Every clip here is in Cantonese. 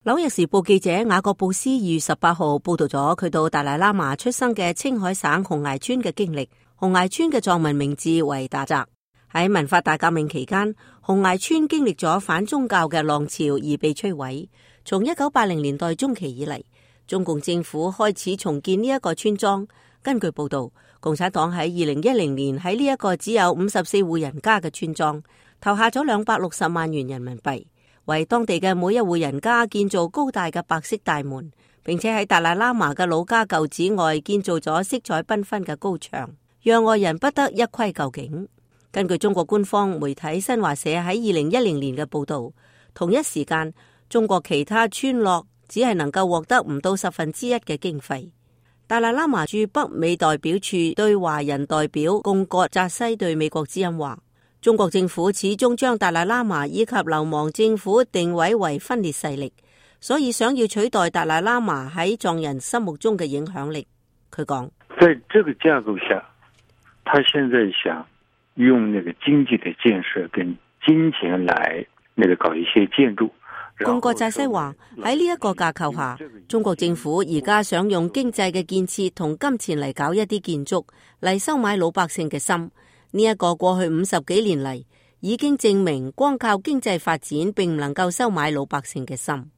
紐約時報記者雅各布斯2月18號報道咗佢到達賴喇嘛出生嘅青海省紅崖村嘅經歷。紅崖村嘅藏文名字為達澤。喺文化大革命期間，紅崖村經歷咗反宗教嘅浪潮而被摧毀。從1980年代中期以嚟，中共政府開始重建呢一個村莊。根據報道，共產黨喺2010年喺呢一個只有54戶人家嘅村莊投下咗260萬元人民幣，為當地嘅每一戶人家建造高大嘅白色大門，並且喺達賴喇嘛嘅老家舊址外建造咗色彩繽紛嘅高牆，讓外人不得一窺究竟。根據中國官方媒體新華社喺2010年嘅報道，同一時間中國其他村落只係能夠獲得唔到1/10嘅經費。達賴喇嘛駐北美代表處對華人代表貢格扎西對美國之音話，中國政府始終將達賴喇嘛以及流亡政府定位為分裂勢力，所以想要取代達賴喇嘛喺藏人心目中嘅影響力。佢講，在這個架構下，他現在想用那個經濟的建設跟金錢來搞一些建築。貢格扎西話，喺呢一個架構下，中國政府而家想用經濟嘅建設同金錢嚟搞一啲建築，嚟收買老百姓嘅心。呢一個過去50幾年嚟已經證明，光靠經濟發展並唔能夠收買老百姓嘅心。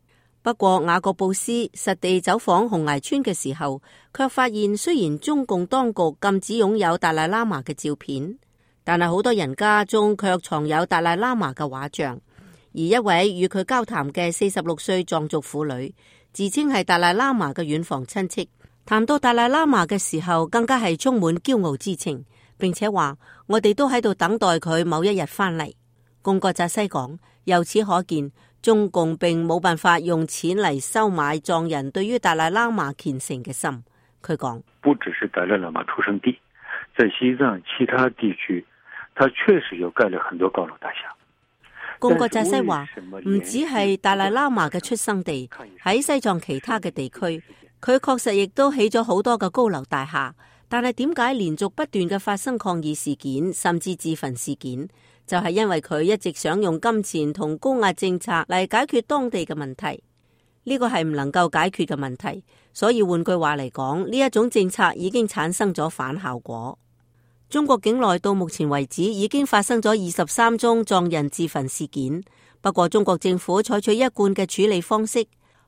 不過雅各布斯實地走訪紅崖村嘅時候，卻發現雖然中共當局禁止擁有達賴喇嘛嘅照片，但係好多人家中卻藏有達賴喇嘛嘅畫像。而一位與佢交談嘅46歲藏族婦女，自稱係達賴喇嘛嘅遠房親戚，談到達賴喇嘛嘅時候，更加係充滿驕傲之情，並且話我哋都喺度等待佢某一日翻嚟。貢格扎西講，由此可見，中共並冇辦法用錢嚟收買藏人對於達賴喇嘛虔誠嘅心。佢講，不只是達賴喇嘛出生地，在西藏其他地區，他確實有蓋了很多高樓大廈。貢格扎西話，唔止係達賴喇嘛嘅出生地，喺西藏其他嘅地區，佢確實亦都起咗好多嘅高樓大廈。但係點解連續不斷嘅發生抗議事件，甚至自焚事件？就係因為佢一直想用金錢同高壓政策嚟解決當地嘅問題。呢個係唔能夠解決嘅問題，所以換句話嚟講，呢一種政策已經產生咗反效果。中國境內到目前為止已經發生咗23宗藏人自焚事件。不過中國政府採取一貫嘅處理方式，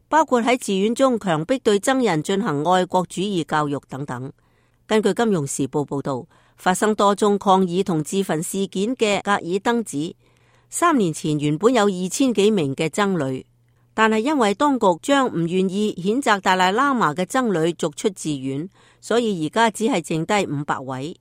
包括喺寺院中強迫對僧人進行愛國主義教育等等。根據金融時報報道，發生多宗抗議同自焚事件嘅格爾登寺，3年前原本有2000幾名嘅僧侶，但係因為當局將唔願意譴責達賴喇嘛嘅僧侶逐出寺院，所以而家只係剩低500位。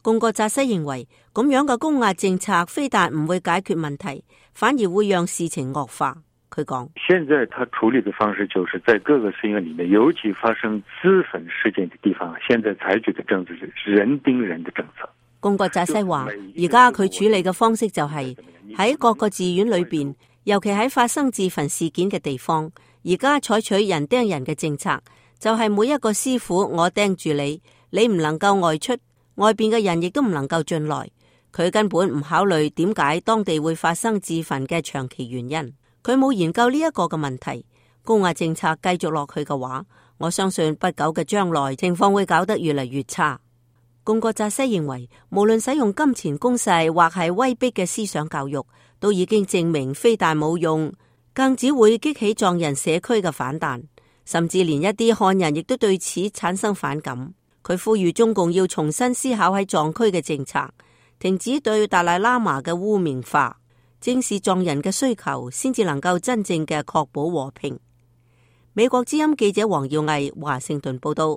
貢格扎西認為，咁樣嘅高壓政策非但唔會解決問題，反而會讓事情惡化。佢講，現在他處理的方式就是在各個寺院裏面，尤其發生自焚事件的地方，現在採取的政策是人盯人的政策。貢格扎西話，而家佢處理嘅方式就係喺各個寺院裏邊，尤其喺發生自焚事件嘅地方，而家採取人盯人嘅政策，就係每一個師傅我盯住你，你唔能夠外出。外邊嘅人亦都唔能夠進來，佢根本唔考慮點解當地會發生自焚嘅長期原因，佢冇研究呢一個嘅問題。高壓政策繼續落去嘅話，我相信不久嘅將來情況會搞得越嚟越差。貢格扎西認為，無論使用金錢攻勢或係威逼嘅思想教育，都已經證明非但冇用，更只會激起藏人社區嘅反彈，甚至連一啲漢人亦都對此產生反感。佢呼籲中共要重新思考喺藏區嘅政策，停止對達賴喇嘛嘅污名化，正視藏人嘅需求，先至能夠真正嘅確保和平。美國之音記者黃耀毅華盛頓報道。